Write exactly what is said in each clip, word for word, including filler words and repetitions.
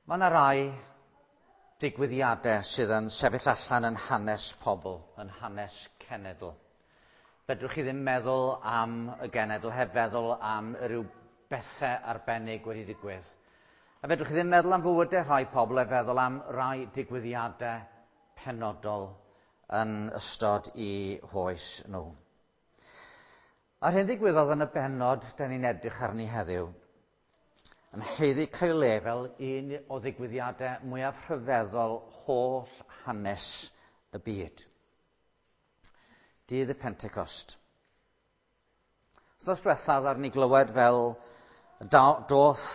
Mae yna rai digwyddiadau sydd yn sefyll allan yn hanes pobl, yn hanes cenedl. Fedrwch chi ddim meddwl am y genedl heb feddwl am ryw bethau arbennig wedi digwydd. A fedrwch chi ddim meddwl am fywydau rhai pobl heb feddwl am rai digwyddiadau penodol yn ystod i hoes nhw. A'r hyn ddigwyddodd yn y bennod da ni'n edrych arni heddiw yn haeddu cael le fel un o ddigwyddiadau mwyaf rhyfeddol holl hanes y byd. Dydd y Pentecost. Wythnos diwethaf ar ni glywed fel doth,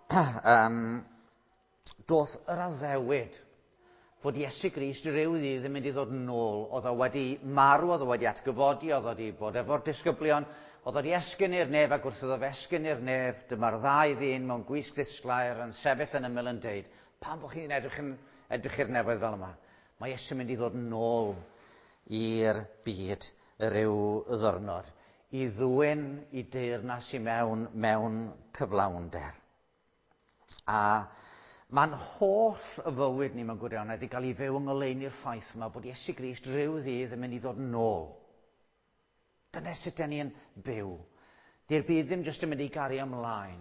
um, doth yr addewid fod Iesu Grist rhyw ddydd yn mynd i ddod yn ôl. Oedd o wedi marw, oedd o wedi atgyfodi, oedd o wedi bod efo'r disgyblion, oedd o wedi esgyn i'r nef, ac wrth iddo fe esgyn i'r nef, dyma'r ddau ddyn mewn gwisg ddisglair yn sefyll yn ymyl yn deud, pam bod chi'n edrych, yn, edrych i'r nefoedd fel yma? Mae Iesu'n mynd i ddod yn ôl i'r byd ryw ddwrnod, i ddwyn i deyrnas i mewn mewn cyflawnder. A mae'n holl y fywyd ni mewn gwirionedd i gael ei fyw yng ngoleuni'r ffaith yma bod Iesu Grist rhyw ddydd yn mynd i ddod yn ôl. Dyna sut dan ni'n byw. Di'r byd ddim jyst yn mynd i gario ymlaen.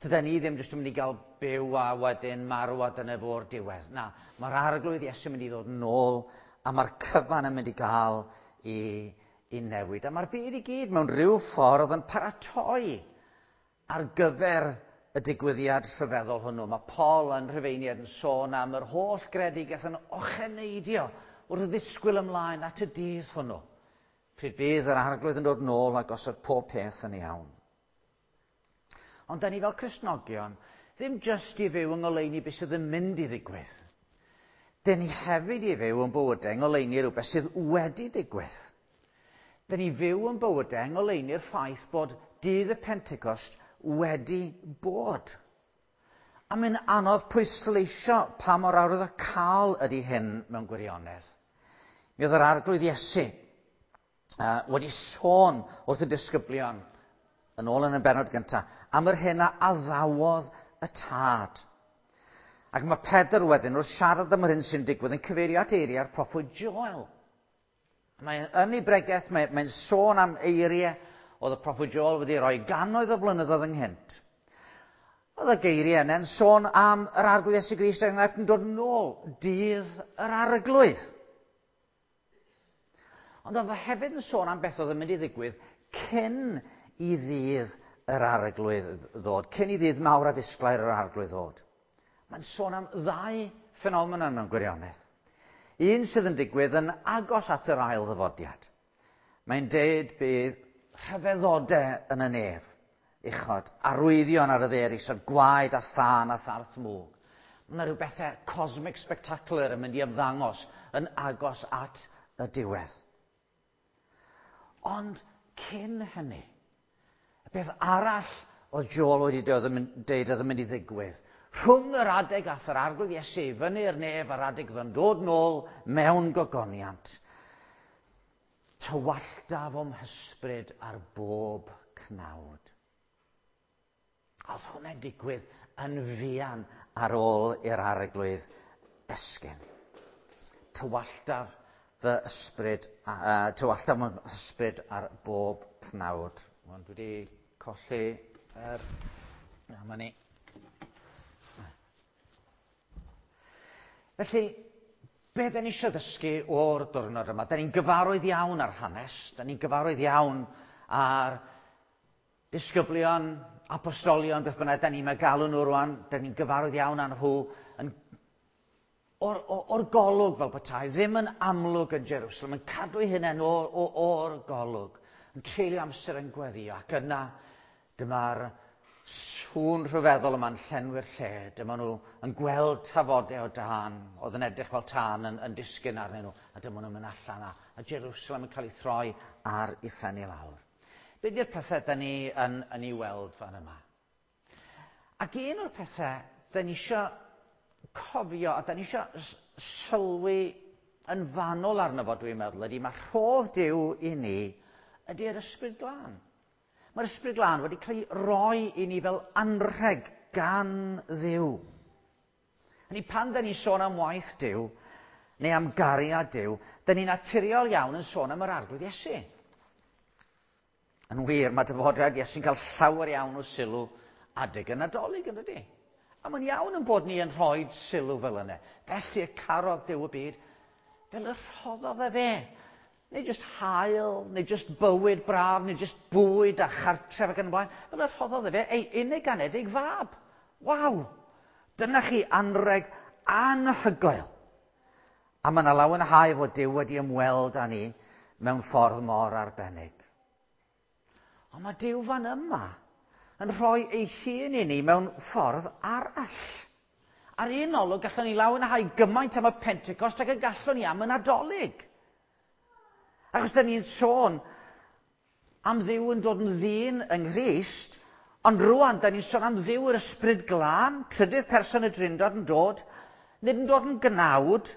Tydan ni ddim jyst yn mynd i gael byw a wedyn marw a dyna fo'r diwedd. Na, mae'r Arglwydd Iesu yn mynd i ddod yn ôl a mae'r cyfan yn mynd i gael i, i newid. A mae'r byd i gyd mewn rhyw ffordd yn paratoi ar gyfer y digwyddiad rhyfeddol hwnnw. Mae Paul yn Rhufeiniad yn sôn am yr holl gredigaeth yn ocheneidio wrth ddisgwyl ymlaen at y dydd hwnnw. Pryd bydd yr Arglwydd yn dod nôl a gosod pob peth yn iawn. Ond da ni fel Cristnogion ddim jyst i fyw yng ngoleuni beth sydd yn mynd i ddigwydd. Da ni hefyd i fyw yn bywydau yng ngoleuni rhywbeth sydd wedi digwydd. Da ni fyw yn bywydau yng ngoleuni'r ffaith bod dydd y Pentecost wedi bod. A mae'n anodd pwysleisio pa mor arwyddocaol ydy hyn mewn gwirionedd. Mi oedd yr Arglwydd Iesu Uh, wedi sôn wrth y disgyblion yn ôl yn y bennod gyntaf am yr hyn a addawodd y tad. Ac mae Pedr wedyn wrth siarad am yr hyn sy'n digwydd yn cyfeirio at eiriau'r proffwyd Joel. Mae yn ei bregeth, mae'n mae sôn am eiriau oedd y proffwyd Joel wedi rhoi gannoedd o flynyddoedd ynghynt. Oedd y geiriau yna'n sôn am yr Arglwydd Iesu Grist er enghraifft yn dod nôl dydd yr Arglwydd. Ond oedd o hefyd yn sôn am beth oedd yn mynd i ddigwydd cyn i ddydd yr Arglwydd ddod, cyn i ddydd mawr a disglair yr Arglwydd ddod. Mae'n sôn am ddau ffenomenon mewn gwirionedd. Un sydd yn digwydd yn agos at yr ail ddyfodiad. Mae'n deud bydd rhyfeddodau yn y nef, uchod, arwyddion ar y ddaear isod, gwaed a thân a tharth mwg. Mae yna rhyw bethau cosmic spectacular yn mynd i ymddangos yn agos at y diwedd. Ond cyn hynny, y peth arall oedd Joel wedi deud oedd yn mynd i ddigwydd, rhwng yr adeg ath yr Arglwydd Iesu fyny'r nef a'r adeg oedd yn dod nôl mewn gogoniant, tywalltaf o'm hysbryd ar bob cnawd. Oedd hwnna'n digwydd yn fuan ar ôl i'r Arglwydd esgyn. Tywalltaf fy ysbryd, uh, tywalltaf fy ysbryd ar bob cnawd. Ond dwi wedi colli yr... Dyma ni. Felly, be da ni eisiau ddysgu o'r diwrnod yma? Da ni'n gyfarwydd iawn ar hanes, da ni'n gyfarwydd iawn ar disgyblion, apostolion, beth bynnag da ni'n galw nhw rwan, da ni'n gyfarwydd iawn â nhw yn O'r, or, or golwg fel petai, ddim yn amlwg yn Jerusalem, yn cadw eu hunain o'r, or, or golwg, yn treulio amser yn gweddio, ac yna dyma'r sŵn rhyfeddol yma'n llenwi'r lle, dyma nhw yn gweld tafodau o dân, oedd yn edrych fel tân yn, yn disgyn arnyn nhw, a dyma nhw'n mynd allan, a, a Jerusalem yn cael ei throi ar ei phen i lawr. Be di'r pethau da ni yn, yn ei weld fan yma? Ac un o'r pethau da ni eisiau cofio, a da ni eisiau sylwi yn fanwl arno fo, dwi'n meddwl, ydy mae rhodd Duw i ni ydy'r Ysbryd Glân. Mae'r Ysbryd Glân wedi cael ei roi i ni fel anrheg gan Dduw. Hynny pan dyn ni'n sôn am waith Duw, neu am gariad Duw, dyn ni'n naturiol iawn yn sôn am yr Arglwydd Iesu. Yn wir, mae dyfodiad Iesu'n cael llawer iawn o sylw adeg y Nadolig, yn dydi? A mae'n iawn yn bod ni yn rhoi sylw fel yna. Felly y carodd Duw y byd, fel y rhoddodd e fe. Neu jyst haul, neu jyst bywyd braf, neu jyst bwyd a chartref ac yn y blaen. Fel y rhoddodd e fe ei unig anedig fab. Waw! Dyna chi anreg anhygoel. A mae yna lawenhau fod Duw wedi ymweld â ni mewn ffordd mor arbennig. Ond mae Duw fan yma yn rhoi ei hun i ni mewn ffordd arall. Ar un olwg gallwn ni lawenhau gymaint am y Pentecost ag y gallwn ni am y Nadolig. Achos da ni'n sôn am Dduw yn dod yn ddyn yng Nghrist, ond rwan da ni'n sôn am Dduw yr Ysbryd Glân, trydydd person y Drindod yn dod, nid yn dod yn gnawd,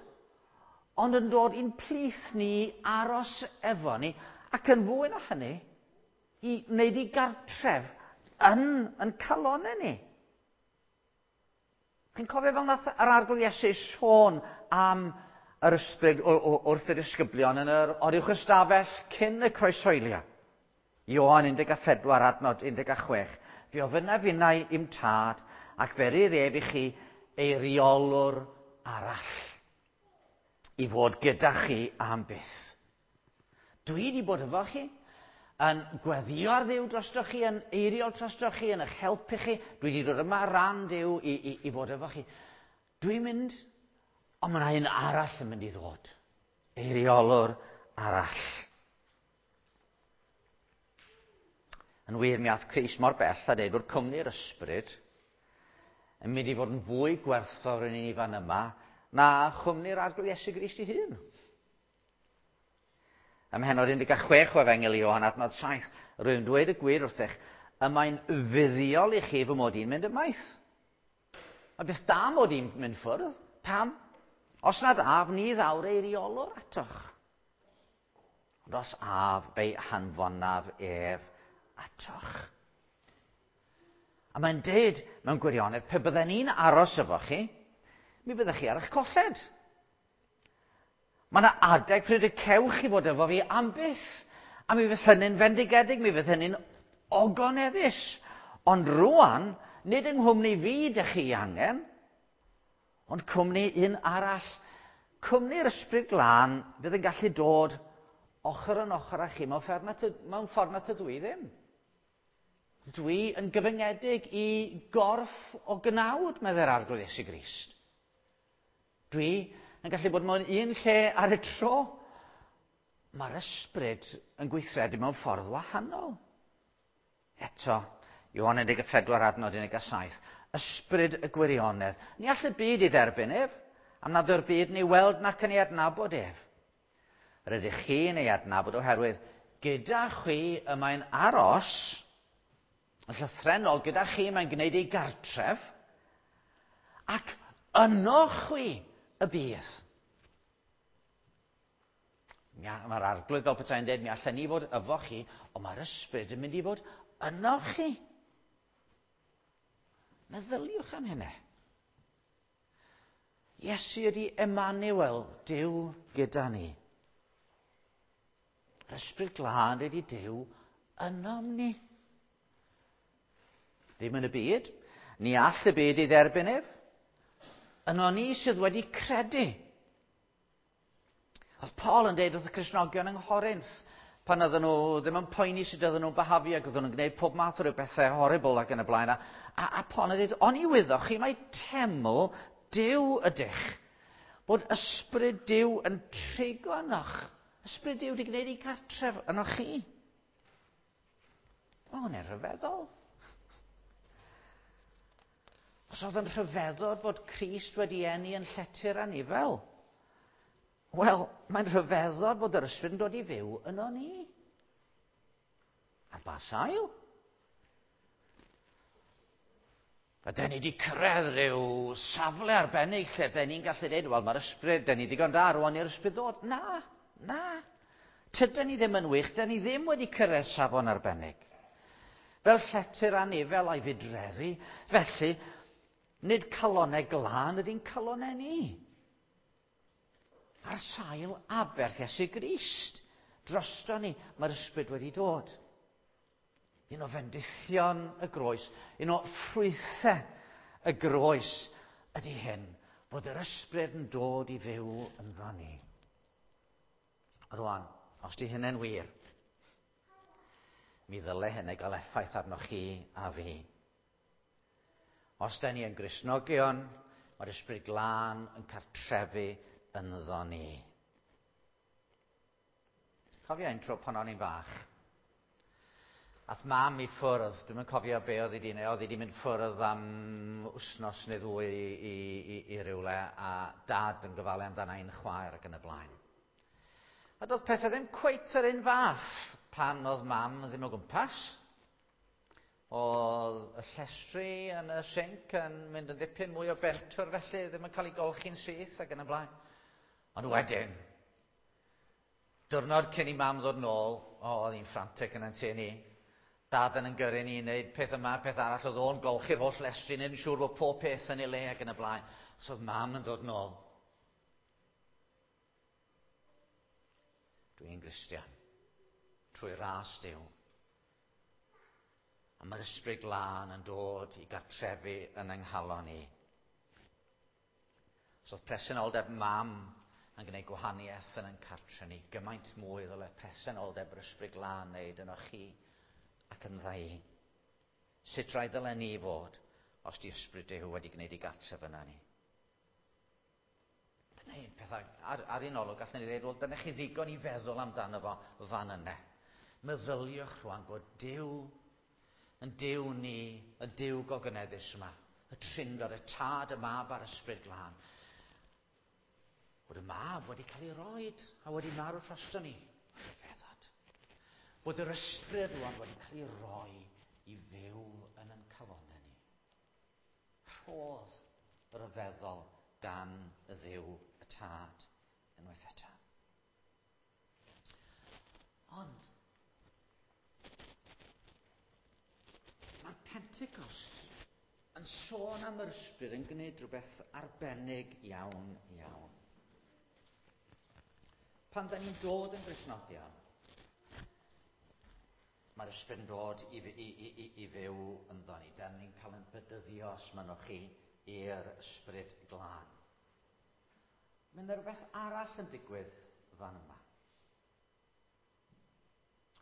ond yn dod i'n plith ni aros efo ni, ac yn fwy na hynny, i wneud i gartref yn, yn calonau ni. Chi'n cofio fel nath yr Arglwydd Iesu sôn am yr ysbryd wrth y disgyblion yn yr oruwch ystafell cyn y croeshoelio. Ioan un deg pedwar adnod un deg chwech. Fe ofynnaf finnau i'm tad ac fe rydd ef i chi eiriolwr arall i fod gyda chi am byth. Dwi wedi bod efo chi yn gweddio ar Dduw drostoch chi, yn eiriol drostoch chi, yn eich helpu chi. Dwi wedi dod yma ran Duw i, i, i fod efo chi. Dwi'n mynd, ond mae yna un arall yn mynd i ddod. Eiriolwr arall. Yn wir, mi ath Crist mor bell a dweud bod cwmni'r ysbryd yn mynd i fod yn fwy gwerthfawr yn ni fan yma na chwmni'r Arglwydd Iesu Grist ei hun. Ym mhennod un deg chwech o Efengyl Ioan adnod saith, rwy'n dweud y gwir wrthych, y mae'n fuddiol i chi fy mod i'n mynd ymaith. Mae beth da mod i'n mynd ffwrdd. Pam? Os nad af, ni ddawr eiriolwr atoch. Ond os af, fe'i hanfonaf ef atoch. A mae'n deud mewn gwirionedd, pe bydden ni'n aros efo chi, mi byddech chi ar eich colled. Mae yna adeg pryd y cewch chi fod efo fi am byth. A mi fydd hynny'n fendigedig, mi fydd hynny'n ogoneddus. Ond rwan, nid yng nghwmni fi dych chi angen, ond cwmni un arall. Cwmni'r Ysbryd Glân fydd yn gallu dod ochr yn ochr â chi mewn ffordd na, mewn ffordd na tydw i ddim. Dwi yn gyfyngedig i gorff o gnawd, meddai'r Arglwydd Iesu Grist. Dwi yn gallu bod mewn un lle ar y tro. Mae'r ysbryd yn gweithredu mewn ffordd wahanol. Eto, Ioan un deg pedwar adnod un deg saith, ysbryd y gwirionedd. Ni all y byd ei dderbyn ef, am nad yw'r byd ni weld nac yn ei adnabod ef. Rydych chi'n ei adnabod oherwydd gyda chwi y mae'n aros, yn llythrennol, gyda chi mae'n gwneud ei gartref, ac yno chwi y bydd. Mae'r Arglwydd fel petai'n dweud, mi allan ni fod efo chi, ond mae'r ysbryd yn mynd i fod yno chi. Meddyliwch am hynny. Iesu ydy Emmanuel, Duw gyda ni. Yr Ysbryd Glân ydy Duw ynom ni. Ddim yn y byd. Ni all y byd ei dderbyn ef. Yno ni sydd wedi credu. Oedd Paul yn dweud wrth y Cristnogion yng Nghorinth, pan oedden nhw ddim yn poeni sut oedden nhw'n byhafio ac oedden nhw'n gwneud pob math o ryw bethau horrible ac yn y blaen. A, a, a Paul yn dweud, oni wyddoch chi mai teml Duw ydych, bod ysbryd Duw yn trigo ynoch. Ysbryd Duw wedi gwneud ei cartref ynoch chi. O, hwnna'n rhyfeddol. Os oedd yn rhyfeddod fod Crist wedi eni yn llety'r anifel, wel, mae'n rhyfeddod fod yr ysbryd yn dod i fyw yno ni. Ar ba sail? Ydyn ni wedi cyrraedd rhyw safle arbennig lle dyn ni'n gallu dweud, wel, mae'r ysbryd, dyn ni ddigon da rwan i'r ysbryd ddod. Na, na. Tydyn ni ddim yn wych, dyn ni ddim wedi cyrraedd safon arbennig. Fel llety'r anifel a'i fudreddu, felly, Nid calonau glân ydy'n calonau ni. Ar sail aberth Iesu Grist, drosto ni, mae'r ysbryd wedi dod. Un o fendithion y groes, un o ffrwythau y groes ydy hyn, bod yr ysbryd yn dod i fyw ynddo ni. Rwan, os di hynny'n wir, mi ddyle hynny gael effaith arnoch chi a fi. Os da ni yn Gristnogion, mae'r ysbryd glân yn cartrefu ynddo ni. Cofio un tro pan o'n i'n fach. Ath mam i ffwrdd, dwi'm yn cofio be oedd hi wedi neud, oedd hi wedi mynd ffwrdd am wsnos neu ddwy i, i, i rywle, a dad yn gofalu amdana i'n chwaer ac yn y blaen. A doedd pethau ddim cweit yr un fath pan oedd mam ddim o gwmpas. Oedd y llestri yn y sinc yn mynd yn ddipyn mwy o bentwr felly, ddim yn cael ei golchi'n syth ac yn y blaen. Ond wedyn, diwrnod cyn i mam ddod nôl, o, oedd hi'n frantic yn tŷ ni. Dad yn gyrru ni i wneud peth yma, peth arall, oedd o'n golchi'r holl lestri, wneud yn siŵr bod pob peth yn ei le ac yn y blaen. So oedd mam yn dod nôl. Dwi'n Gristion, trwy ras Duw. A mae'r ysbryd glân yn dod i gartrefu yn yng nghalon ni. So oedd presenoldeb mam yn gwneud gwahaniaeth yn ein cartre ni. Gymaint mwy ddyle presenoldeb yr ysbryd glân wneud yno chi ac yn dda i. Sut rhaid ddyle ni fod os di ysbryd Duw wedi gwneud i gartref yna ni? Dyna un peth ar, ar un olwg gallwn ni ddweud, wel, dyna chi ddigon i feddwl amdano fo fan yna. Meddyliwch rwan bod Duw yn Duw ni, y Duw gogoneddus yma, y Trindod, y Tad, y Mab a'r Ysbryd Glân. Bod y Mab wedi cael ei roed a wedi marw drosto ni. Rhyfeddod. Bod yr Ysbryd rwan wedi cael ei roi i fyw yn ein calonnau ni. Rhodd ryfeddol gan y Dduw y Tad unwaith eto. Ond mae'r Pentecost yn sôn am yr ysbryd yn gwneud rhywbeth arbennig iawn iawn. Pan da ni'n dod yn Gristnogion, mae'r ysbryd yn dod i, i, i, i, i fyw ynddo ni. Da ni'n cael ein bedyddio, os mynnwch chi, i'r ysbryd glân. Mae yna rhywbeth arall yn digwydd fan yma.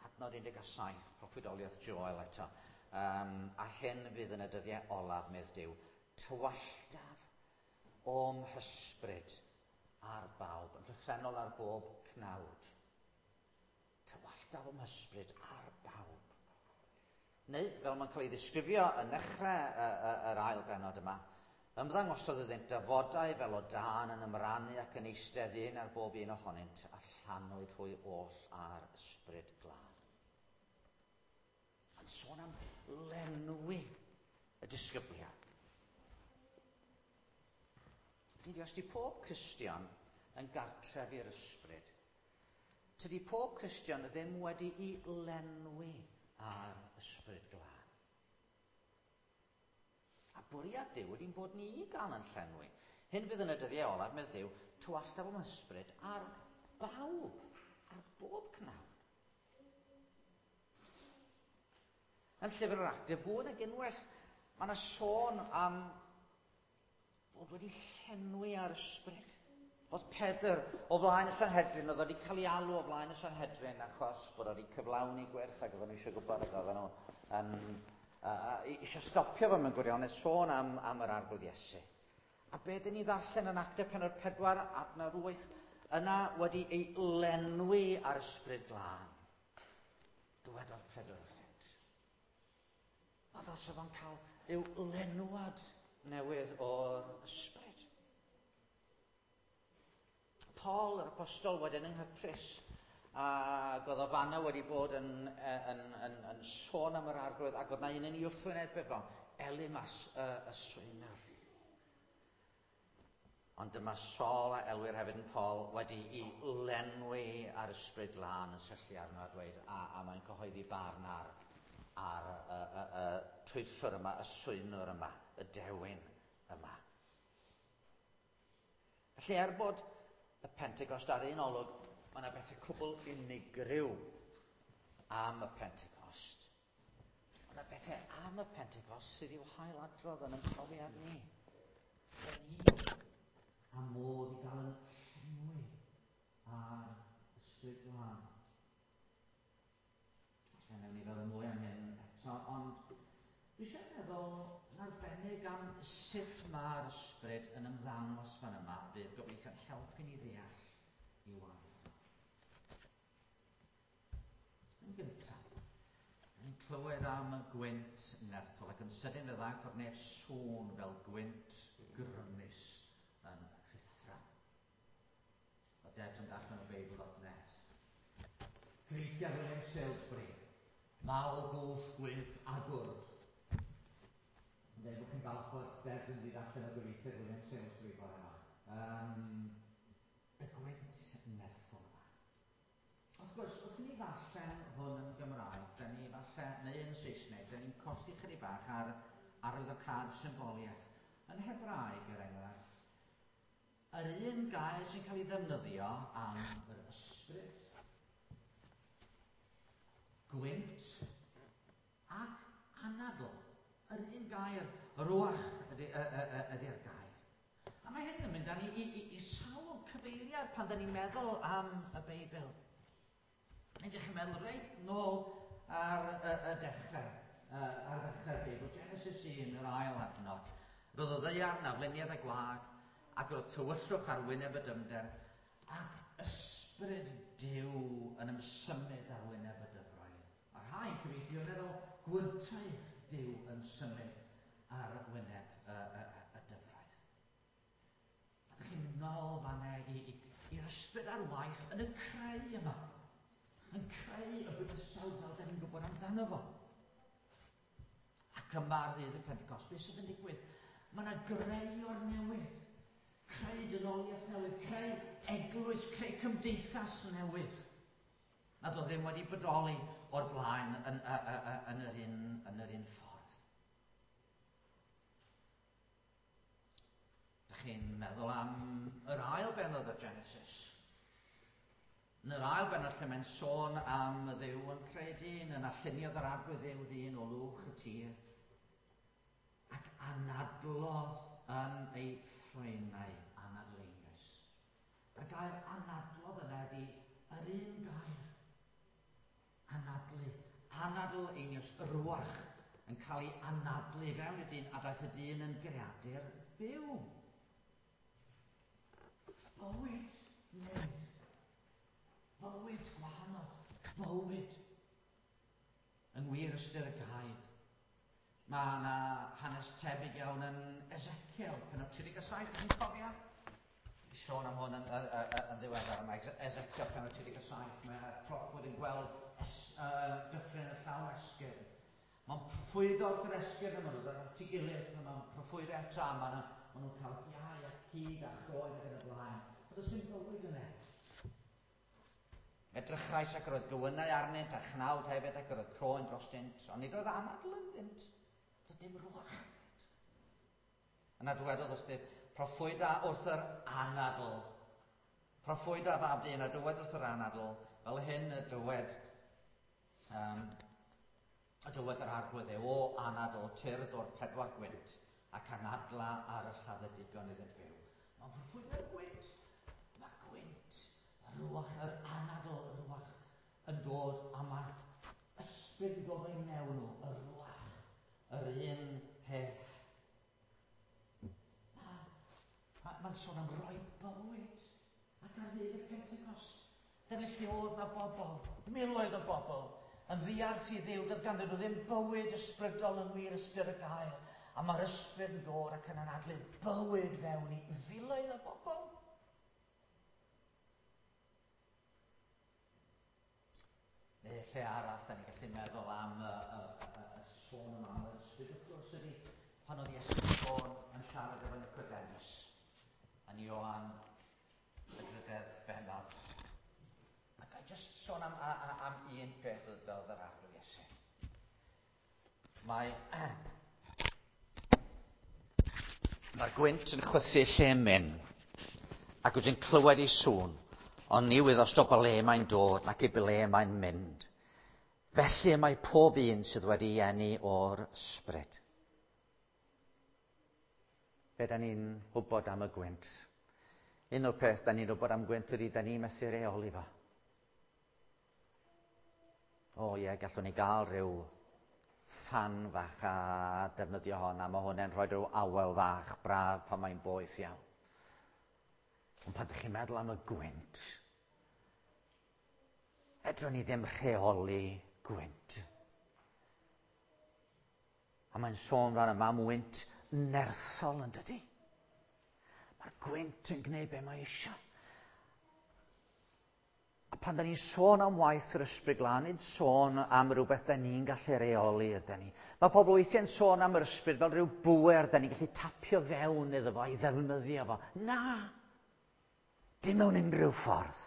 Adnod un deg saith, proffwydoliaeth Joel eto. Um, a hyn fydd yn y dyddiau olaf, medd Duw, tywalltaf o'm hysbryd ar bawb, yn llythrennol ar bob cnawd. Tywalltaf o'm hysbryd ar bawb. Neu, fel mae'n cael ei ddisgrifio yn nechrau yr ail bennod yma, ymddangosodd iddynt dafodau fel o dân yn ymrannu ac yn eistedd un ar bob un ohonynt, a llanwyd hwy oll ar ysbryd glân. Yn sôn am lenwi y disgyblion. Hynny yw, os di pob Cristion yn gartref i'r ysbryd, tydi pob Cristion ddim wedi'i lenwi ar ysbryd glân. A bwriad Duw ydy'n bod ni i gael yn llenwi. Hyn fydd yn y dyddiau olaf, medd Duw, tywalltaf o'm ysbryd ar bawb, ar bob cnawd. Yn llyfr yr Actau, fwy nag unwaith, mae yna sôn am fod wedi llenwi ar ysbryd. Oedd Pedr o flaen y Sanhedrin, oedd wedi cael ei alw o flaen y Sanhedrin achos bod wedi cyflawni gwerth ac oedden nhw eisiau gwybod ac oedden nhw um, uh, eisiau stopio fo mewn gwirionedd, sôn am, am yr Arglwydd Iesu. A be dyn ni ddarllen yn Actau pennod pedwar, adnod wyth, yna wedi ei lenwi ar ysbryd glân. Dywedodd Pedr wrthynt. A fel sef o'n cael rhyw lenwad newydd o'r ysbryd. Paul, yr apostol, wedyn yng Nghyprus, ac oedd o fanna wedi bod yn, yn, yn, yn sôn am yr Arglwydd, ac oedd na un yn ei wrthwynebu fo, Elimas y, y swynwr. Ond dyma Saul, a elwir hefyd yn Paul, wedi i lenwi ar ysbryd glân yn syllu arno a dweud, a, a mae'n cyhoeddi barn ar a'r y, y, y twyllwr yma, y swynwr yma, y dewin yma. Felly er bod y Pentecost ar un olwg, mae yna bethau cwbl unigryw am y Pentecost. Mae yna bethau am y Pentecost sydd i'w hailadrodd yn ein profiad ni. Ni a modd i gael yn llenwi ar Ysbryd Glân. Falle newn ni feddwl mwy am hyn eto, ond dwi eisiau meddwl yn arbennig am sut mae'r ysbryd yn ymddangos fan yma, fydd gobeithio'n helpu ni ddeall i waith. Yn gyntaf, ni'n clywed am y gwynt nerthol ac yn sydyn fe ddaeth o'r nef sŵn fel gwynt grymus yn rhuthro. O Debs yn darllen o Beibl dot net. Cyfieithiad William Salesbury. Mal, gwll, gwynt a gwrdd. Yn dweud bod chi'n falch bod Debs yn mynd i allan o gyfieithiad William Salesbury bore yma. Um, y gwynt nerthol yma. Wrth gwrs, wrth i ni ddarllen hwn yn Gymraeg, da ni falle, neu yn Saesneg, da ni'n colli chydig bach ar arwyddocâd symboliaeth. Yn Hebraeg, er enghraifft, yr un gair sy'n cael ei ddefnyddio am yr ysbryd, gwynt ac anadl. Yr un gair, ruach ydy'r ydy, ydy gair. A mae hyn yn mynd â ni i, i, i sawl cyfeiriad pan da ni'n meddwl am y Beibl. Nid ydych chi'n meddwl reit nôl ar y, y dechrau, ar ddechrau'r Beibl, Genesis un, yr ail adnod. Roedd y ddaear na fliniad a gwag, ac roedd tywyllwch ar wyneb y dyfnder, ac ysbryd Duw yn ymsymud ar wyneb y dyfroedd. A rhai'n cyfieithu yn meddwl gwyntoedd Duw yn symud ar wyneb y, y, y dyfroedd. A ydych chi'n mynd nôl fan'na i'r ysbryd ar waith yn y creu yma. Yn creu y bydysawd fel da ni'n gwybod amdano fo. Ac yma ar ddydd y Pentecost, beth sydd yn digwydd? Mae yna greu o'r newydd. Creu dynoliaeth newydd, creu eglwys, creu cymdeithas newydd. Nad oedd ddim wedi bodoli o'r blaen yn, yn, yn, yr, un, yn yr un ffordd. Dych chi'n meddwl am yr ail bennod o Genesis. Yn yr ail bennod lle mae'n sôn am y Dduw yn creu dyn, yna lluniodd yr Arglwydd Dduw ddyn o lwch y tir, ac anadlodd yn ei ffroenau anadl einioes. A'r gair anadlodd yna ydy yr un gair. Anadlu. Anadl einioes, y ruach, yn cael ei anadlu fewn y dyn, a daeth y dyn yn greadur byw. Bywyd newydd. Bywyd gwahanol. Bywyd. Yng ngwir ystyr y gair. Mae yna hanes tebyg iawn yn Ezekiel, pennod tri deg saith, chi'n cofio? I sôn am hwn yn, yn, yn, yn ddiweddar. Mae Ezekiel pennod tri deg saith, mae'r proffwyd yn gweld es, uh, dyffryn y llawn esgyrn. Mae'n proffwydo wrth yr esgyrn, a maen nhw'n dod at ei gilydd, a mae'n proffwydo eto, a maen nhw'n cael iau a cig a chroen ac yn y blaen. A does dim bywyd yna. Edrychais ac yr oedd gywynau arnynt a chnawd hefyd ac yr oedd croen drostynt, ond nid oedd anadl ynddynt. Doedd dim ruach ynddynt. Yna dywedodd wrthyf, proffwyda wrth yr anadl. Proffwyda fab dyn a dywed wrth yr anadl, fel hyn y dywed, um, y dywed yr Arglwydd e, o anadl, tyrd o'r pedwar gwynt, ac anadla ar y lladdedigon iddynt fyw. Mae'n proffwyda'r gwynt. Mae gwynt, y ruach, yr anadl, y ruach yn dod, a mae'r ysbryd yn dod o'i mewn nhw, y ruach, yr un peth. Mae'n ma, sôn am roi bywyd ac ar ddydd y Pentecost. Dyna lle oedd na bobl, miloedd o bobl, yn ddiarth i Dduw, doedd ganddyn nhw ddim bywyd ysbrydol yng ngwir ystyr y gair. A mae'r ysbryd yn dod ac yn anadlu bywyd fewn i filoedd o bobl. Neu lle arall, da ni'n gallu meddwl am y, y, y, y sôn yma am yr ysbryd, wrth gwrs ydy pan oedd Iesu'n sôn yn siarad efo Nicodemus yn Ioan y drydedd bennod. A ga i jyst sôn am, am, am un peth ddydodd yr Arglwydd Iesu. Mae Mae'r gwynt yn chwythu lle myn, Ac wyt ti'n clywed ei sŵn, ond ni wyddost o ble mae'n dod ac i ble mae'n mynd. Felly y mae pob un sydd wedi eni o'r ysbryd. Be da ni'n wybod am y gwynt? Un o'r peth da ni'n wybod am gwynt ydy da ni'n methu reoli fo. O ie, gallwn ni gael rhyw ffan fach a defnyddio hon, a mae hwn yn rhoi rhyw awel fach braf pan mae'n boeth iawn. Ond pan ydych chi'n meddwl am y gwynt, fedrwn ni ddim rheoli gwynt. A mae'n sôn fan yma am wynt nerthol yn dydy. Mae'r gwynt yn gwneud be mae eisiau. A pan da ni'n sôn am waith yr Ysbryd Glân, nid sôn am rhywbeth da ni'n gallu reoli ydyn ni. Mae pobl weithiau'n sôn am yr ysbryd fel rhyw bŵer da ni'n gallu tapio fewn iddo fo, i ddefnyddio fo. Na! Dim mewn unrhyw ffordd.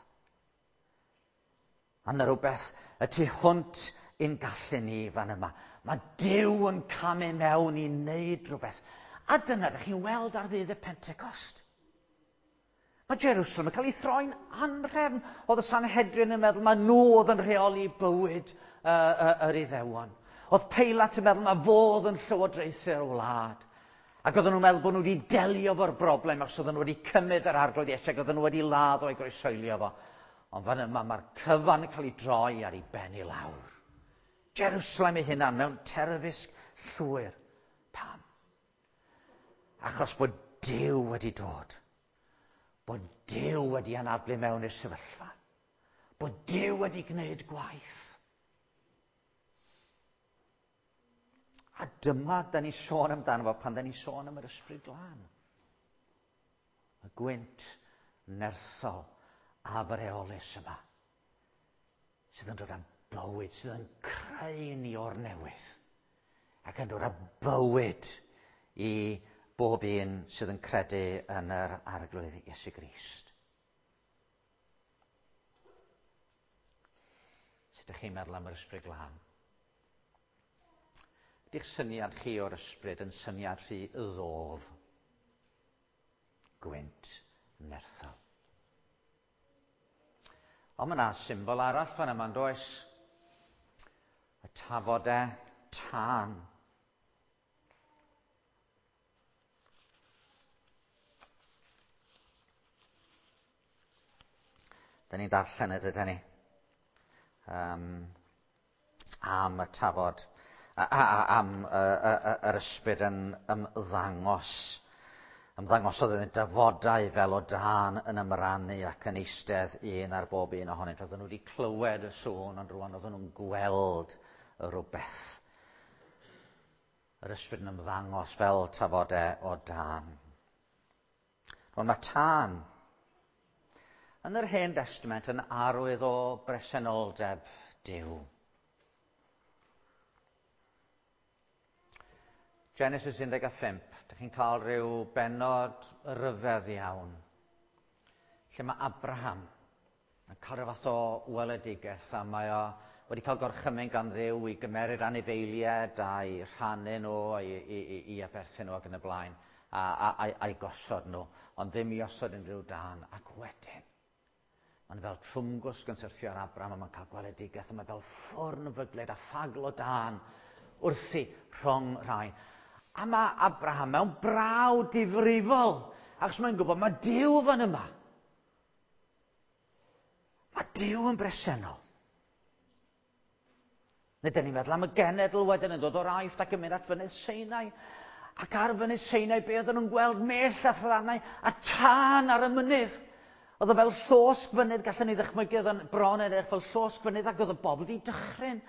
A yna rhywbeth y tu hwnt i'n gallu ni fan yma. Mae Duw yn camu mewn i wneud rhywbeth. A dyna ydych chi'n weld ar ddydd y Pentecost. Mae Jerusalem yn cael ei throi'n anhrefn. Oedd y Sanhedrin yn meddwl mae nhw oedd yn rheoli bywyd uh, uh, yr Iddewon. Oedd Peilat yn meddwl mae fodd yn llywodraethu'r wlad. Ac oedden nhw'n meddwl bod nhw wedi delio fo'r broblem achos oedden nhw wedi cymryd yr Arglwydd Iesu ac oedden nhw wedi ladd o'i groeshoelio fo. Ond fan yma mae'r cyfan yn cael ei droi ar ei ben i lawr. Jerusalem ei hunan mewn terfysg llwyr. Pam? Achos bod Duw wedi dod. Bod Duw wedi anadlu mewn i'r sefyllfa. Bod Duw wedi gwneud gwaith. A dyma da ni sôn amdano fo pan da ni sôn am yr Ysbryd Glân. Y gwynt nerthol afreolus yma sydd yn dod â bywyd, sydd yn creu ni o'r newydd ac yn dod â bywyd i bob un sydd yn credu yn yr Arglwydd Iesu Grist. Sut ydych chi'n meddwl am yr Ysbryd Glân? Ydy'ch syniad chi o'r ysbryd yn syniad rhy ddof? Gwynt nerthol. Ond mae yna symbol arall fan yma, does? Y tafodau tân. Da ni'n darllen y dydyn ni. Um, am y tafod, a, a, a, am y, y, y, yr ysbryd yn ymddangos. Ymddangosodd yn dafodau fel o dân yn ymrannu ac yn eistedd un ar bob un ohonynt. Oedden nhw wedi clywed y sŵn, ond rwan oedden nhw'n gweld y rhywbeth. Yr ysbryd yn ymddangos fel tafodau o dân. Rwan mae tân yn yr Hen Testament yn arwydd o bresenoldeb Duw. Genesis un deg pump, dych chi'n cael rhyw bennod ryfedd iawn, lle mae Abraham yn cael rhyw fath o weledigaeth a mae o wedi cael gorchymyn gan Dduw i gymeryd anifeiliaid a'i rhannu nhw, i, i, i, i aberthu nhw ac yn y blaen, a, a, a, a'i gosod nhw, ond ddim i osod unrhyw dân. Ac wedyn, mae'n fel trwmgwsg yn syrthio ar Abraham a mae'n cael gweledigaeth a mae fel ffwrn fyglyd a ffagl o dân wrthi rhwng rhai. A mae Abraham mewn braw difrifol, achos mae'n gwybod mae Duw fan yma. Mae Duw yn bresennol. Nid ni'n meddwl am y genedl wedyn yn dod o'r Aifft ac yn mynd at fynydd Sinai. Ac ar fynydd Sinai be oedden nhw'n gweld mellt a thrannau a tân ar y mynydd. Oedd o fel llosg fynydd, gallwn ni ddychmygu, oedd o'n bron edrych fel llosg fynydd ac oedd y bobl wedi dychryn.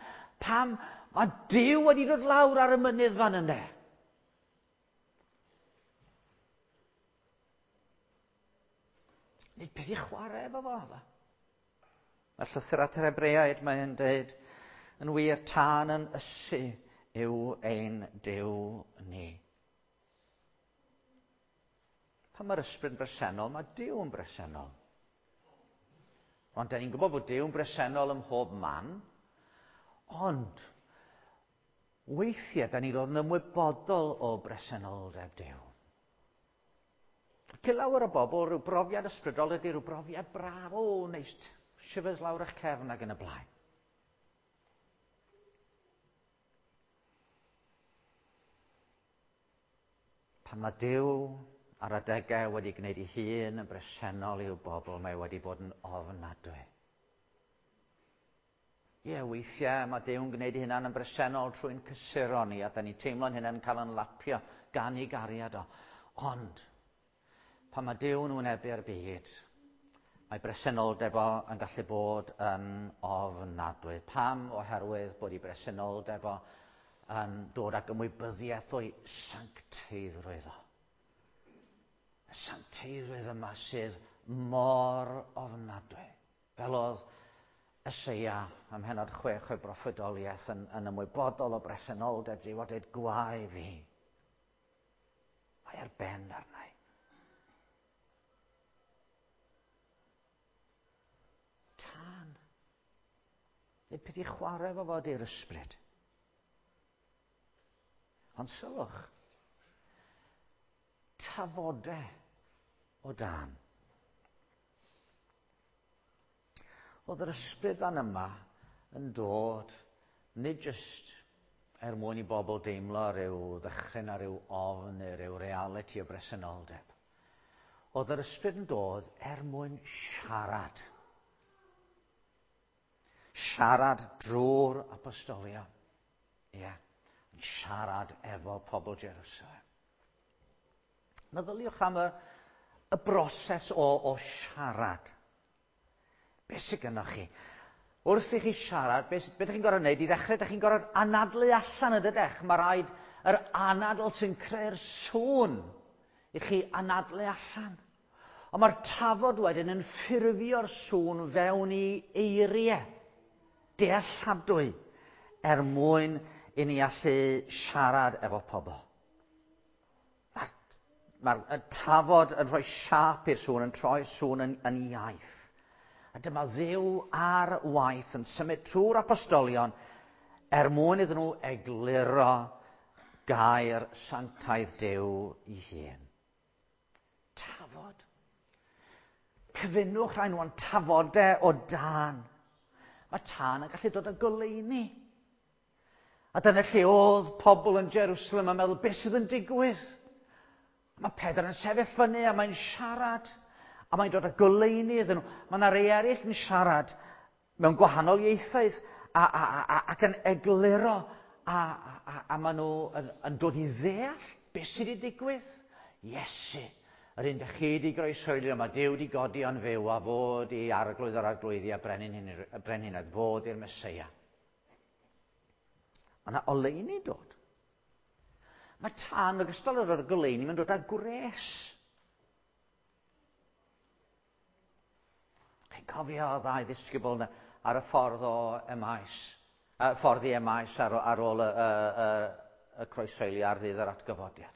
Pam? Mae Duw wedi dod lawr ar y mynydd fan yna. Nid peth i chwarae efo fo. Mae'r llythyr at yr Hebreaid, mae'n dweud, yn wir tân yn ysu yw ein Duw ni. Pan mae'r ysbryd yn bresennol, mae Duw yn bresennol. Ond da ni'n gwybod bod Duw yn bresennol ym mhob man, ond weithiau da ni'n dod yn ymwybodol o bresenoldeb Duw. I lawer o bobl, rhyw brofiad ysbrydol ydy rhyw brofiad braf, o, neis, shivers lawr eich cefn ac yn y blaen. Pan mae Duw ar adegau wedi gwneud ei hun yn bresennol i'w bobl, mae wedi bod yn ofnadwy. Ie, weithiau mae Duw'n gwneud ei hunan yn bresennol trwy'n cysuro ni, a da ni'n teimlo'n hunan yn cael yn lapio gan ei gariad o. Ond, pan mae Duw'n wynebu'r byd, mae bresenoldeb o yn gallu bod yn ofnadwy. Pam? Oherwydd bod ei bresenoldeb o yn dod ag ymwybyddiaeth o'i sancteiddrwydd o. Y sancteiddrwydd yma sydd mor ofnadwy. Fel oedd Eseia ym mhennod chwech o'i broffwydoliaeth yn, yn ymwybodol o bresenoldeb Duw a dweud, gwae fi. Mae ar ben arna i. Tân. Nid peth i chwarae fo fod i'r ysbryd. Ond sylwch, tafodau o dân. Oedd yr ysbryd fan yma yn dod, nid jyst er mwyn i bobl deimlo rhyw ddychryn a rhyw ofn neu rhyw realiti o bresenoldeb. Oedd yr ysbryd yn dod er mwyn siarad. Siarad drwy'r apostolion. Ie, yeah. Yn siarad efo pobl Jerusalem. Meddyliwch am y, y broses o, o siarad. Be sydd gynnoch chi? Wrth i chi siarad, be, be ydych chi'n gorfod wneud? I ddechrau, ydych chi'n gorfod anadlu allan yn dydych. Mae rhaid yr anadl sy'n creu'r sŵn i chi anadlu allan. Ond mae'r tafod wedyn yn ffurfio'r sŵn fewn i eiriau dealladwy er mwyn i ni allu siarad efo pobl. Mae'r mae tafod yn rhoi siâp i'r sŵn, yn troi'r sŵn yn, yn iaith. A dyma Dduw ar waith yn symud trwy'r apostolion er mwyn iddyn nhw egluro gair sanctaidd Duw ei hun. Tafod. Cyfunwch rhai nhw yn tafodau o dân. Mae tân yn gallu dod â goleuni. A dyna lle oedd pobl yn Jerusalem yn meddwl, beth sydd yn digwydd? Mae Pedr yn sefyll fyny a mae'n siarad. A mae'n dod â goleuni iddyn nhw. Mae yna rei eraill yn siarad mewn gwahanol ieithoedd a, a, a, ac yn egluro a, a, a maen nhw yn, yn dod i ddeall beth sydd wedi digwydd. Iesu, yr un dych chi wedi groeshoelio, mae Duw wedi godi o'n fyw a fod i arglwydd yr arglwyddi a brenhinoedd, fod i'r Meseia. Mae yna oleuni dod. Mae tân ogystal â dod â goleuni, mae'n dod â gwres. Chi'n cofio ddau ddisgybl yna ar y ffordd o Emaus, y ffordd i Emaus ar, ar ôl y, y, y, y croeshoelio ar ddydd yr atgyfodiad.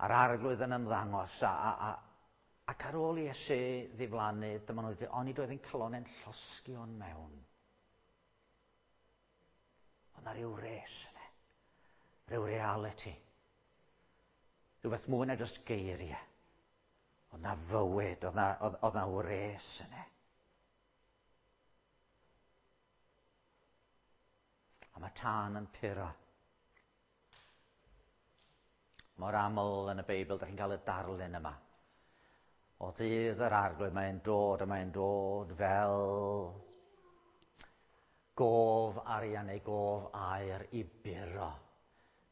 A'r arglwydd yn ymddangos a, a, a, ac ar ôl i Iesu ddiflannu, dyma nhw'n dweud, onid oedd ein calonnau'n llosgi o'n mewn. Oedd na ryw res yna, rhyw reality, rhywbeth mwy na jyst geiriau. Oedd na fywyd, oedd na, oedd, oedd na wres yna. A mae tân yn puro. Mor aml yn y Beibl, ydych chi'n cael y darlun yma. O ddydd yr arglwydd, mae'n dod a mae'n dod fel gof arian neu gof aer i buro.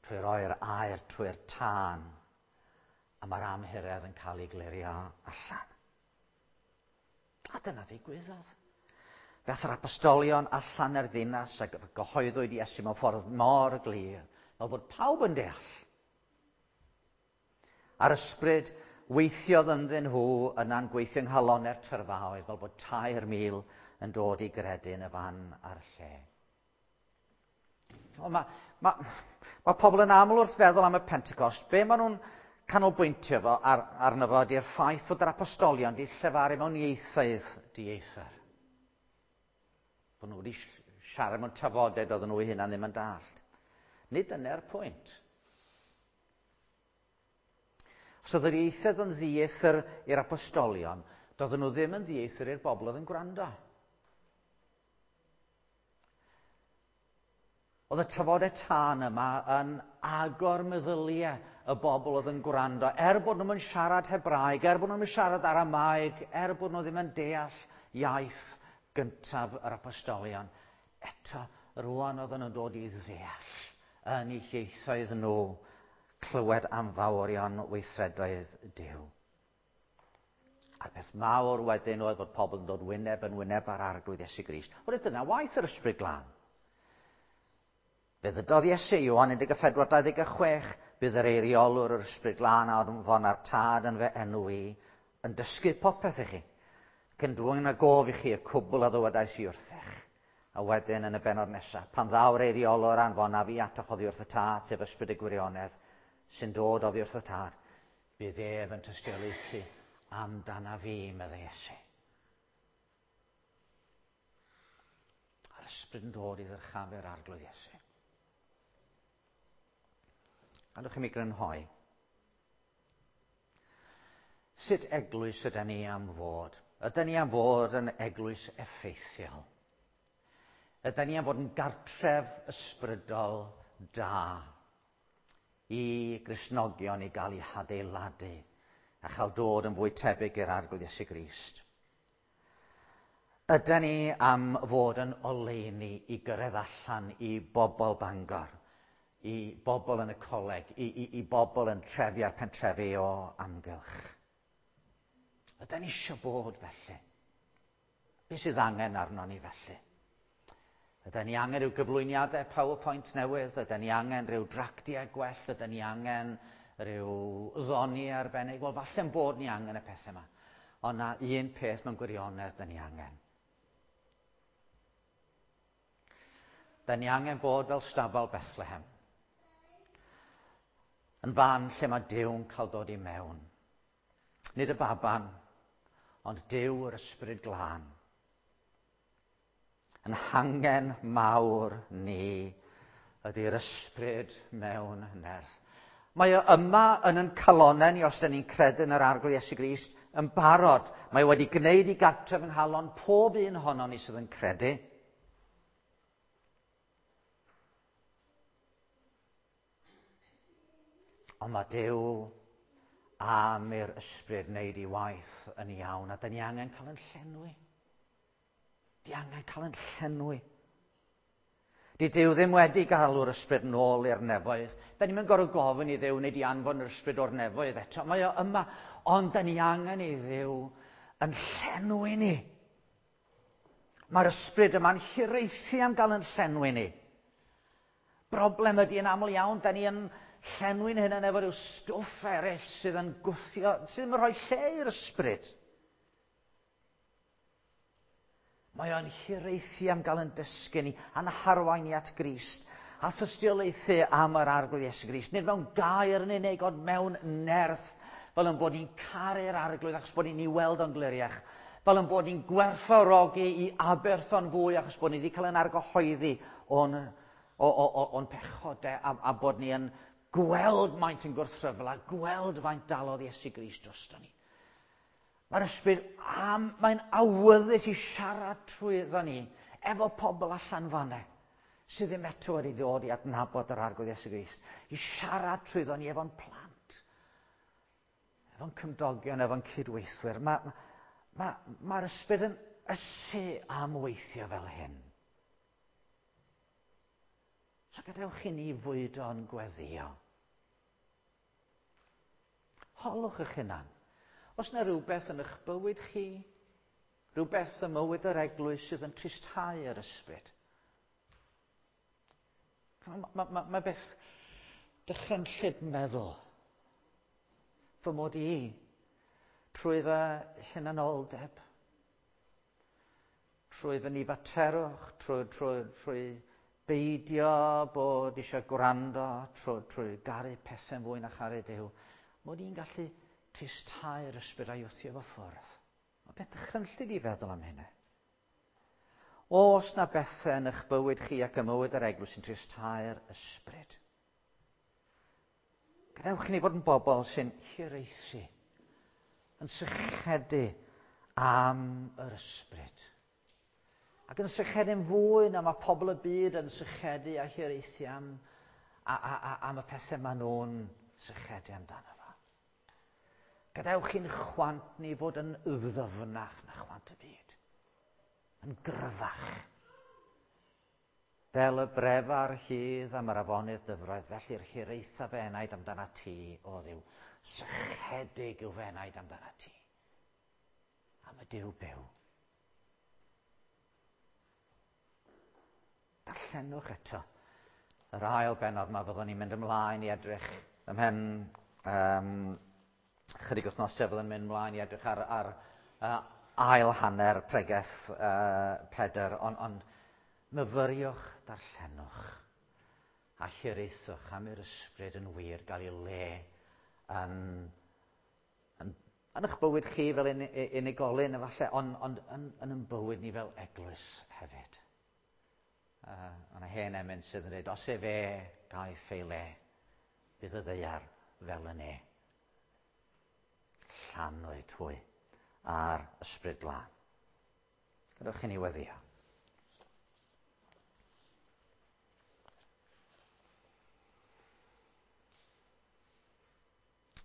Trwy roi'r aer trwy'r tân. A mae'r amhuredd yn cael ei glirio allan. A dyna ddigwyddodd. Fe yr apostolion allan yr ddinas a gyhoeddwyd Iesu mewn ffordd mor glir, fel bod pawb yn deall. A'r ysbryd weithiodd ynddyn nhw yna'n gweithio yng nghalonnau'r tyrfaoedd, fel bod tair mil yn dod i gredu yn y fan a'r lle. Mae, mae, mae pobl yn aml wrth feddwl am y Pentecost, be maen nhw'n canolbwyntio fo ar, arno fo ydy'r ffaith fod yr apostolion wedi llefaru mewn ieithoedd dieithr. Bod nhw wedi siarad mewn tafodau doedden nhw eu hunan ddim yn dallt. Nid dyna'r pwynt. Os oedd yr ieithoedd yn ddieithr i'r apostolion, doedden nhw ddim yn ddieithr i'r bobl oedd yn gwrando. Oedd y tafodau tân yma yn agor meddyliau y bobl oedd yn gwrando, er bod nhw'n siarad Hebraeg, er bod nhw'n siarad Aramaeg, er bod nhw ddim yn deall iaith gyntaf yr apostolion. Eto, rwan oedden nhw'n dod i ddeall yn eu hieithoedd nhw, clywed am fawrion weithredoedd Duw. A'r peth mawr wedyn oedd bod pobl yn dod wyneb yn wyneb ar Arglwydd Iesu Grist. Wel, dyna waith yr Ysbryd Glân. Fe ddydodd Iesu, Ioan un deg pedwar dau ddeg chwech, bydd yr eiriolwr yr Ysbryd Glân a anfon a'r Tad yn fy enw i, yn dysgu popeth i chi, ac yn dwyn a gof i chi y cwbl a ddywedais i wrthych. A wedyn yn y bennod nesaf, pan ddaw'r eiriolwr anfon a fi atoch oddi wrth y Tad, sef Ysbryd y Gwirionedd, sy'n dod oddi wrth y Tad, bydd ef yn tystiolaethu amdana fi, meddai Iesu. A'r Ysbryd yn dod i ddyrchafu'r Arglwydd Iesu. Gadewch i mi grynhoi. Sut eglwys ydyn ni am fod? Ydyn ni am fod yn eglwys effeithiol? Ydyn ni am fod yn gartref ysbrydol da i Gristnogion i gael eu hadeiladu a chael dod yn fwy tebyg i'r Arglwydd Iesu Grist? Ydyn ni am fod yn oleuni i gyrraedd allan i bobl Bangor, i bobl yn y coleg, i, i, i bobl yn trefi a'r pentrefi o amgylch? Ydyn ni eisiau bod felly? Be sydd angen arno ni felly? Ydyn ni angen rhyw gyflwyniadau PowerPoint newydd? Ydyn ni angen rhyw dractiau gwell? Ydyn ni angen rhyw ddoni arbennig? Wel, falle'n bod ni angen y pethau yma. Ond na un peth mewn gwirionedd dyn ni angen. Dyn ni angen bod fel stabal Bethlehem. Yn fan lle mae Duw'n cael dod i mewn. Nid y baban, ond Duw yr Ysbryd Glân. Yn hangen mawr ni ydy'r Ysbryd mewn nerth. Mae o yma yn yn calonnau ni, os dyn ni'n credu yn yr Arglwydd Iesu Grist, yn barod. Mae wedi gwneud i gartref yng nghalon pob un ohonon ni sydd yn credu. Ond mae Duw am i'r Ysbryd wneud ei waith yn iawn, a dyn ni angen cael yn llenwi. Di angen cael yn llenwi. Di Duw ddim wedi galw'r Ysbryd nôl i'r nefoedd. Da ni'n gorfod gofyn i Dduw wneud i anfon yr Ysbryd o'r nefoedd eto. Mae o yma, ond da ni angen i Dduw yn llenwi ni. Mae'r Ysbryd yma'n hiraethu am gael yn llenwi ni. Broblem ydy yn aml iawn, da ni yn llenwi'n hunain efo rhyw stwff eraill sydd yn gwthio, sydd yn rhoi lle i'r Ysbryd. Mae o'n hiraethu am gael yn dysgu ni, a'n harwain ni at Grist, a thystiolaethu am yr Arglwydd Iesu Grist. Nid mewn gair yn unig, ond mewn nerth, fel yn bod ni'n caru'r Arglwydd achos bod ni'n ei weld o'n gliriach, fel yn bod ni'n gwerthfawrogi i aberth o'n fwy achos bod ni wedi cael yn argyhoeddi o'n, o, o, o, o'n pechodau, a, a bod ni yn gweld maint yn gwrthryfel a gweld faint dalodd Iesu Grist drosto ni. Mae'r Ysbryd am, mae'n awyddus i siarad trwyddo ni efo pobl allan fan'na sydd ddim eto wedi dod i adnabod yr Arglwydd Iesu Grist, i siarad trwyddo ni efo'n plant, efo'n cymdogion, efo'n cydweithwyr. Mae'r ma, ma, ma Ysbryd yn ysu am weithio fel hyn. So gadewch i ni fwydo'n gweddio. Holwch eich hunan. Os yna rhywbeth yn eich bywyd chi, rhywbeth ym mywyd yr eglwys sydd yn tristhau yr Ysbryd. Mae ma, ma, ma beth dychrynllyd meddwl fy mod i trwy fy hunanoldeb, trwy fy nifaterwch, trwy, trwy, trwy beidio bod eisiau gwrando, trwy, trwy garu pethau'n fwy na charu Duw, mod i'n gallu tristhau'r Ysbryd a'i wthio fo ffwrdd. Mae beth dychrynllyd i feddwl am hynny. Os na bethau yn eich bywyd chi ac ym mywyd yr eglwys sy'n tristhau'r Ysbryd, Gadewch i ni fod yn bobl sy'n hiraethu, yn sychedu am yr ysbryd. Ac yn sychedu'n fwy na mae pobl y byd yn sychedu a hiraethu am, a, a, a, am y pethau maen nhw'n sychedu amdano fo. Gadewch i'n chwant ni fod yn ddyfnach na chwant y byd. Yn gryfach. Fel y brefa'r lludd am yr afonydd dyfroedd, felly'r hiraetha fy enaid amdana ti, o Dduw. Sychedig yw fy enaid amdana ti. Am y Duw byw. Darllenwch eto yr ail bennod yma, fyddwn ni'n mynd ymlaen i edrych ymhen um, chydig wythnosau, fyddwn ni'n mynd ymlaen i edrych ar, ar uh, ail hanner pregeth uh, Pedr, ond on, myfyriwch, darllenwch a hiraethwch am i'r ysbryd yn wir gael ei le yn, yn, yn eich bywyd chi fel un, unigolyn efallai, ond on, yn, yn yn bywyd ni fel eglwys hefyd. Uh, yna hen emyn sydd yn dweud, os efe gaiff ei le, bydd y ddaear fel y ne. Llanwyd hwy a'r ysbryd glân. Gadewch i ni weddïo.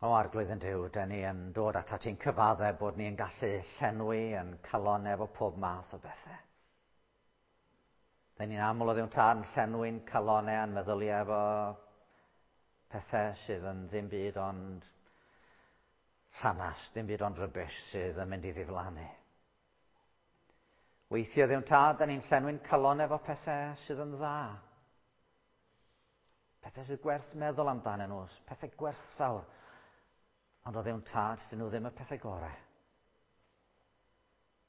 O Arglwydd yn Duw, den ni yn dod atat ti'n cyfadde bod ni'n gallu llenwi yn calon efo pob math o bethau. Den ni'n aml o Dduw Tad yn llenwi'n calonau a'n meddyliau efo pethau sydd yn ddim byd ond llanast, ddim byd ond rubbish sydd yn mynd i ddiflannu. Weithiau Dduw Tad, den ni'n llenwi'n calonau efo pethau sydd yn dda. Pethau sydd gwerth meddwl amdanyn nhw, pethau gwerthfawr. Ond o Dduw Tad, dyn nhw ddim y pethau gorau.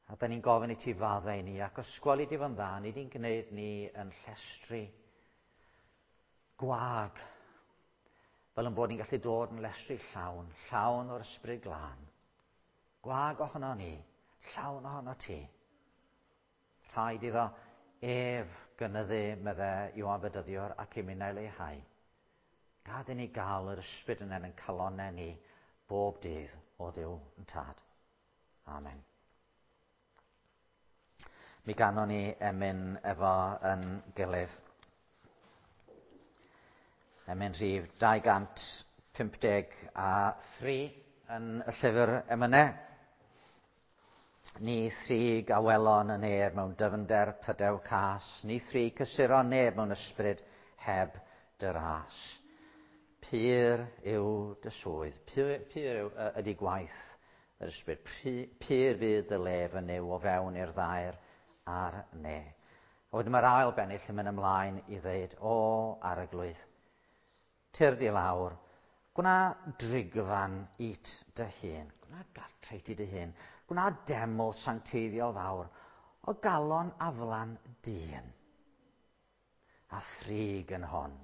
A da ni'n gofyn i ti faddau i ni, ac os gweli di fo'n dda, ni di'n gwneud ni yn llestri gwag, fel yn bod ni'n gallu dod yn llestri llawn, llawn o'r ysbryd glân. Gwag ohono ni, llawn ohono ti. Rhaid iddo ef gynyddu, medde Ioan Fedyddiwr, ac i minnau leihau. Gad i ni gael yr ysbryd yna yn calonnau ni bob dydd o Dduw yn Tad. Amen. Mi ganon ni emyn efo yn gilydd. Emyn rhif dau gant pump deg a thri yn y llyfr emynau. Ni thrig a welon y neb mewn dyfnder pydew cas, ni thrig cysuron neb mewn ysbryd heb dy ras. Pur yw dy swydd, pur, pur yw ydy gwaith yr ysbryd, pur fydd dy lef yn yw o fewn i'r ddaer a'r ne. A wedyn mae'r ail bennill yn mynd ymlaen i ddeud, o Arglwydd, tyrd i lawr, gwna drigfan it dy hun, gwna gartre i ti dy hun, gwna deml sancteiddiol fawr o galon aflan dyn, a thrig yn hon,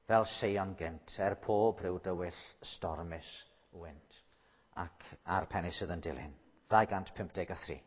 fel Seion gynt, er pob rhyw dywyll stormus wynt, ac a'r pennill sydd yn dilyn, dau gant pump deg a thri.